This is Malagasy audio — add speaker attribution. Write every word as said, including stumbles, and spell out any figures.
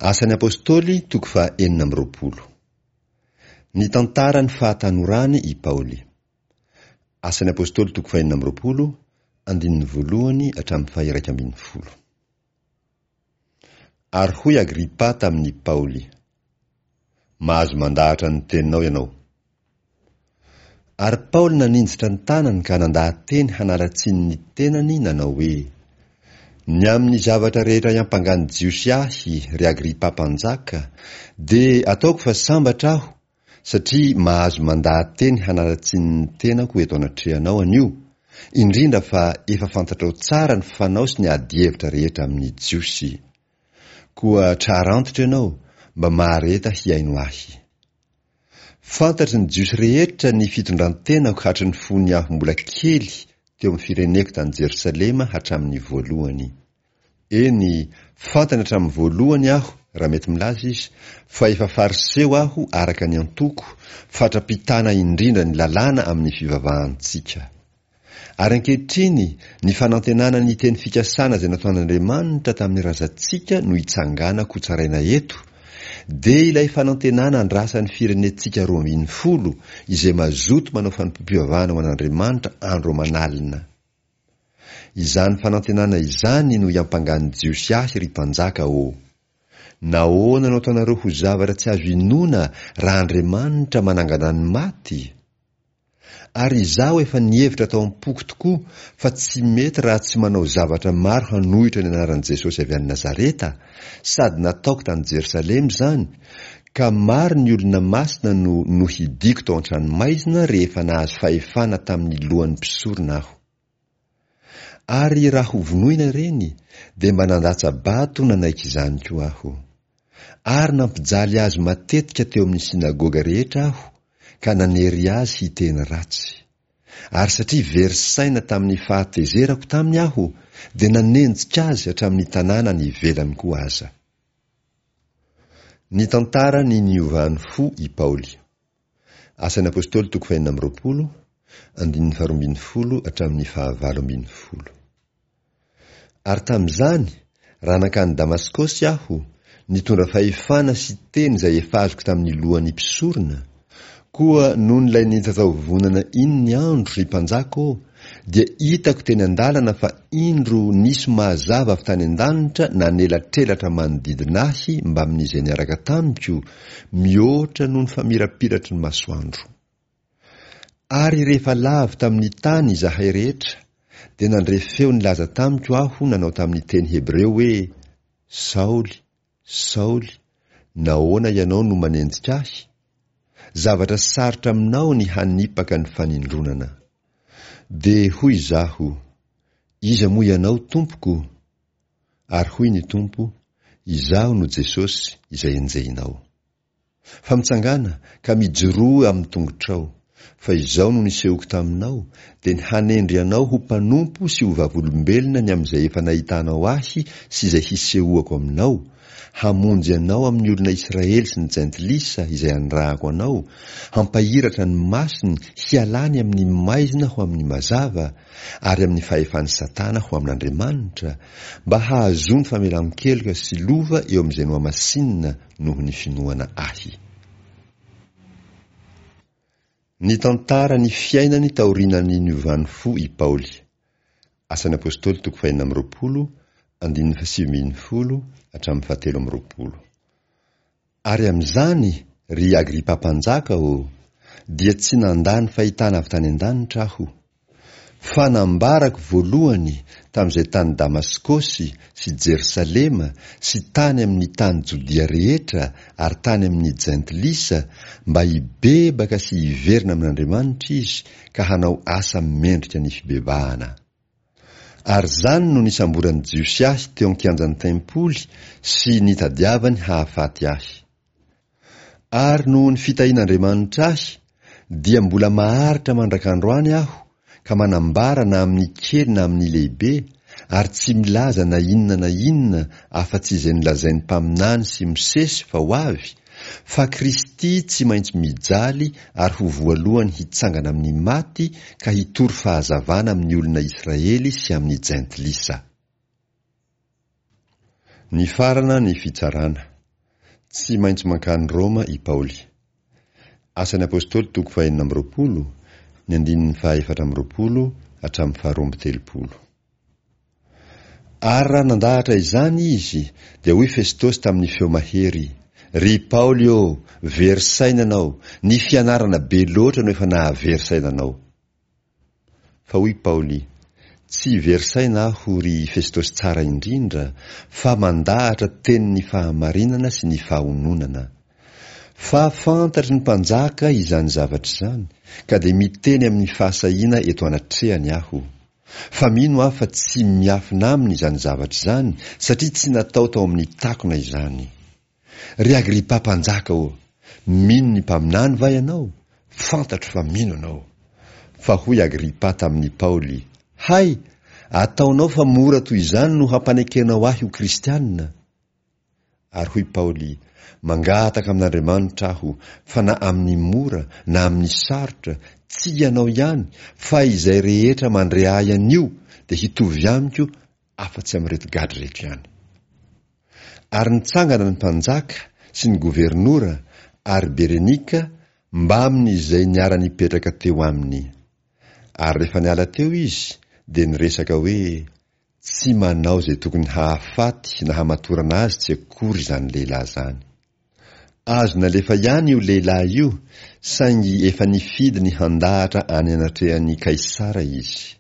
Speaker 1: Asan'ny Apostoly toko faha enina amby roapolo. Nitantara ny fahatanorany i Paoly. Asan'ny Apostoly toko faha enina amby roapolo, andininy voalohany hatramin'ny faha iraika ambin'ny folo. Ary hoy Agripa tamin'i Paoly, Mahazo mandahatra ny teninao ianao. Ary Paoly naninjitra ny tanany ka nandaha-teny hanala tsiny ny tenany nanao hoe, Ny amin'ny zavatra rehetra iampangan'ny Jiosy ahy, ry Agripa mpanjaka, dia ataoko fa sambatra aho, satria mahazo mandaha-teny hanala tsiny ny tenako eto anatrehanao anio, indrindra fa efa fantatrao tsara ny fanao sy ny adihevitra rehetra amin'ny Jiosy. Koa trarantitra ianao, mba mahareta hihaino ahy. Fantatry ny Jiosy rehetra ny fitondran-tenako hatry ny fony aho mbola kely teo amin'ny fireneko tany Jerosalema hatramin'ny voalohany. Eny, fantany hatramin'ny voalohany aho, raha mety milaza izy, fa efa Fariseo aho araka ny antoko, fatra-pitana indrindra ny lalàna amin'ny fivavahantsika. Ary ankehitriny, ny fanantenana ny teny fikasana izay nataon'Andriamanitra tamin'ny razantsika no itsanganako hotsaraina eto, dia ilay fanantenana andrasan'ny firenentsika roa ambin'ny folo izay mazoto manao fanompoam-pivavahana ho an'Andriamanitra andro aman'alina. Izany fanantenana izany no iampangan'ny Jiosy ahy, ry mpanjaka ô! Nahoana no ataonareo ho zavatra tsy azo inoana raha Andriamanitra manangana ny maty? Ary izaho efa nihevitra tao am-poko tokoa fa tsy mety raha tsy manao zavatra maro hanohitra ny anaran'i Jesosy avy any Nazareta, sady nataoko tany Jerosalema izany, ka maro ny olona masina no nohidiako tao an-tranomaizina rehefa nahazo fahefana tamin'ny lohan'ny mpisorona aho. Ary raha hovonoina ireny, dia mba nandatsa-bato nanaiky izany koa aho. Ary nampijaly azy matetika teo amin'ny synagoga rehetra aho, ka nanery azy hiteny ratsy. Ary satria very saina tamin'ny fahatezerako taminy aho, dia nanenjika azy hatramin'ny tanàna any ivelany koa aza. Nitantara ny niovany fo i Paoly. Asan'ny Apostoly toko fahenina amby roapolo, andininy faharoa ambin'ny folo hatramin'ny fahavalo ambin'ny folo. Ary tamin'izany, raha nankany Damaskosy aho, nitondra fahefana sy teny izay efa azoko tamin'ny lohan'ny mpisorona, koa nony ilay nitataovovonana iny ny andro, ry mpanjaka ô, dia hitako teny an-dalana fa indro nisy mazava avy tany an-danitra nanelatrelatra manodidina ahy mbamin'izay niaraka tamiko, mihoatra noho ny famirapiratry ny masoandro. Ary rehefa lavo tamin'ny tany izahay rehetra, dia nandre feo nilaza tamiko aho nanao tamin'ny teny hebreo hoe, Saoly, Saoly, nahoana ianao no manenjika ahy? Zavatra sarotra aminao ny hanipaka ny fanindronana. Dia hoy izaho, Iza moa ianao, Tompoko? Ary hoy ny Tompo, Izaho no Jesosy izay enjehinao. Fa mitsangàna ka mijoroa amin'ny tongotrao, fa izao no nisehoako taminao, dia ny hanendry anao ho mpanompo sy ho vavolombelona ny amin'izay efa nahitanao ahy sy izay hisehoako aminao, hamonjy anao amin'ny olona Israely sy ny jentilisa izay anirahako anao, hampahiratra ny masony hialany amin'ny maizina ho amin'ny mazava, ary amin'ny fahefan'i Satana ho amin'Andriamanitra, mba hahazoany famelan-keloka sy lova eo amin'izay nohamasinina noho ny finoana ahy. Nitantara ny fiainany taorian'ny niovany fo i Paoly. Asan'ny Apostoly toko fahenina amby roapolo, andininy fahasivy ambin'ny folo hatramin'ny fahatelo amby roapolo. Ary amin'izany, ry Agripa mpanjaka ô, dia tsy nandà ny fahitana avy tany an-danitra aho. Fa nambarako voalohany tamin'izay tany Damaskosy sy Jerosalema sy tany amin'ny tany Jodia rehetra ary tany amin'ny Jentilisa mba hibebaka sy hiverina amin'Andriamanitra izy ka hanao asa mendrika ny fibebahana. Ary izany no nisamboran'ny Jiosy ahy teo an-kianjan'ny tempoly sy nitadiavany hahafaty ahy. Ary noho ny fitahian'Andriamanitra ahy, dia mbola maharitra mandrak'androany aho ka manambara na amin'ny kely na amin'ny lehibe, ary tsy milaza na inona na inona afa-tsy izay nolazain'ny mpaminany sy Mosesy fa ho avy, fa Kristy tsy maintsy mijaly ary ho voalohany hitsangana amin'ny maty ka hitory fahazavana amin'ny olona Israely sy amin'ny jentilisa. Nifarana ny fitsarana. Tsy maintsy mankany Roma i Paoly. Asan'ny Apostoly toko fahenina amby roapolo, ny andininy fahaefatra amby roapolo hatramin'ny faharoa amby telopolo. Ary raha nandahatra izany izy, dia hoy Festosy tamin'ny feo mahery, Ry Paoly ô, very saina ianao, ny fianarana be loatra no efa nahavery saina anao. Fa hoy Paoly, Tsy very saina aho, ry Festosy tsara indrindra, fa mandahatra tenin'ny fahamarinana sy ny fahononana. Fa fantatry ny mpanjaka izany zavatra izany, ka dia miteny amin'ny fahasahiana eto anatrehany aho. Fa mino aho fa tsy miafina aminy izany zavatra izany, satria tsy natao tao amin'ny takona izany. Ry Agripa mpanjaka ô, mino ny mpaminany va ianao? Fantatro fa mino ianao. Fa hoy Agripa tamin'i Paoly, Hay, ataonao fa mora toy izany no hampanekenao ahy ho kristiana? Ary hoy Paoly, Mangataka amin'Andriamanitra aho, fa na amin'ny mora na amin'ny sarotra, tsy ianao ihany, fa izay rehetra mandre ahy anio dia hitovy amiko afa-tsy amin'ireto gadra ireto ihany. Ary nitsangana ny mpanjaka sy ny governora ary Berenika mbamin'izay niara-nipetraka teo aminy. Ary rehefa niala teo izy, dia niresaka hoe, Tsy manao izay tokony hahafaty na hamatorana azy tsy akory izany lehilahy izany. Azo nalefa ihany io lehilahy io, saingy efa nifidy ny handahatra any anatrehan'i Kaisara izy.